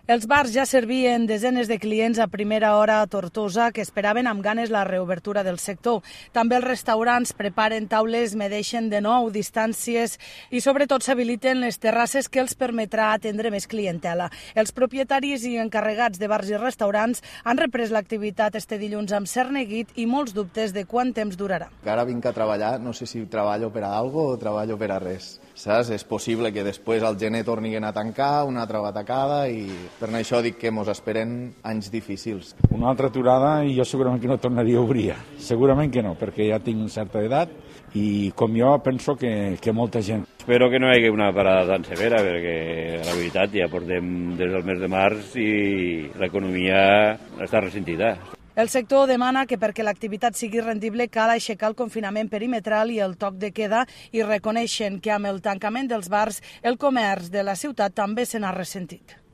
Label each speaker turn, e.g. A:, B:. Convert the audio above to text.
A: Els bars ja servien desenes de clients a primera hora a Tortosa que esperaven amb ganes la reobertura del sector. També els restaurants preparen taules, medeixen de nou distàncies i sobretot s'habiliten les terrasses que els permetrà atendre més clientela. Els propietaris i encarregats de bars i restaurants han reprès l'activitat este dilluns amb cert neguit i molts dubtes de quant temps durarà.
B: Ara vinc a treballar, no sé si treballo per a algo o treballo per a res. Saps? És possible que després al gener tornin a tancar, una altra batacada i per això dic que mos esperen anys difícils.
C: Una altra aturada i jo segurament que no tornaria a obrir. Segurament que no, perquè ja tinc certa edat i com jo penso que molta gent.
D: Espero que no hi hagi una parada tan severa perquè la veritat ja portem des del mes de març i l'economia està ressentida.
A: El sector demana que perquè l'activitat sigui rendible cal aixecar el confinament perimetral i el toc de queda i reconeixen que amb el tancament dels bars el comerç de la ciutat també se n'ha ressentit.